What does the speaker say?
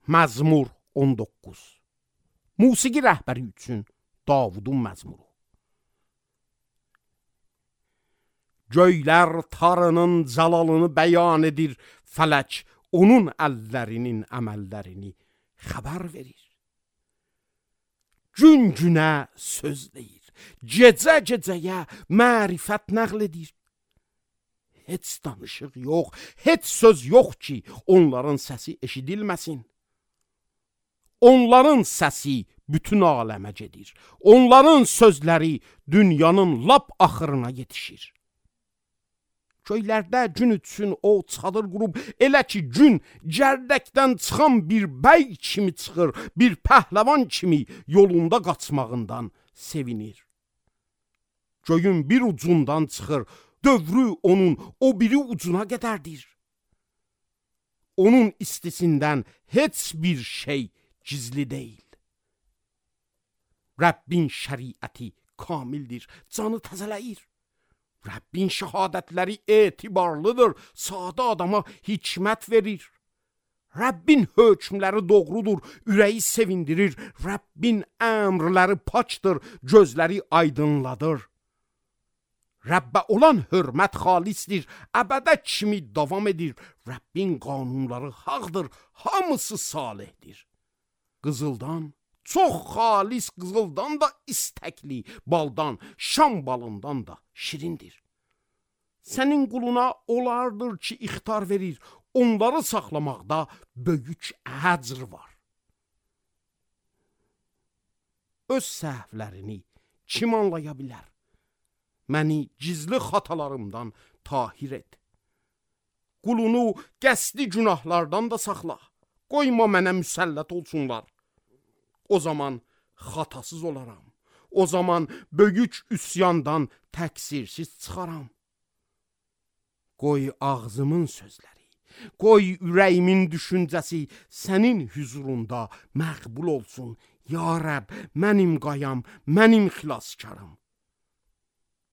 Məzmur 19. Musiqi rəhbəri üçün Davudun məzmuru. Göylər Tanrının cəlalını bəyan edir, fələk onun əllərinin əməllərini xəbər verir. Gün günə söz deyir, gecə gecəyə mərifət nəql edir. Heç danışıq yox, heç söz yox ki, onların səsi eşidilməsin. Onların səsi bütün aləmə gedir. Onların sözləri dünyanın lap axırına yetişir. Köylərdə gün üçün o çadır qurub, elə ki gün gərdəkdən çıxan bir bəy kimi çıxır, bir pəhləvan kimi yolunda qaçmağından sevinir. Göyün bir ucundan çıxır, dövrü onun o biri ucuna qədərdir. Onun istisindən heç bir şey gizli deyil. Rəbbin şəriəti kamildir, canı təzələyir. Rəbbin şəhadətləri etibarlıdır, sadə adama hikmət verir. Rəbbin hökmləri doğrudur, ürəyi sevindirir. Rəbbin əmrləri paçdır, gözləri aydınladır. Rəbbə olan hörmət xalisdir, əbədə kimi davam edir. Rəbbin qanunları haqdır, hamısı salihdir. Qızıldan, çox xalis qızıldan da istəkli, baldan, şam balından da şirindir. Sənin quluna olardır ki, ixtar verir, onları saxlamaqda böyük əcr var. Öz səhvlərini kim anlaya bilər? Məni gizli xatalarımdan tahir et. Qulunu qəsdi günahlardan da saxla. Qoyma mənə müsəllət olsunlar. O zaman xatasız olaram. O zaman böyük üsyandan təqsirsiz çıxaram. Qoy ağzımın sözləri, qoy ürəyimin düşüncəsi sənin hüzurunda məqbul olsun. Ya Rəbb, mənim qayam, mənim xilaskarım.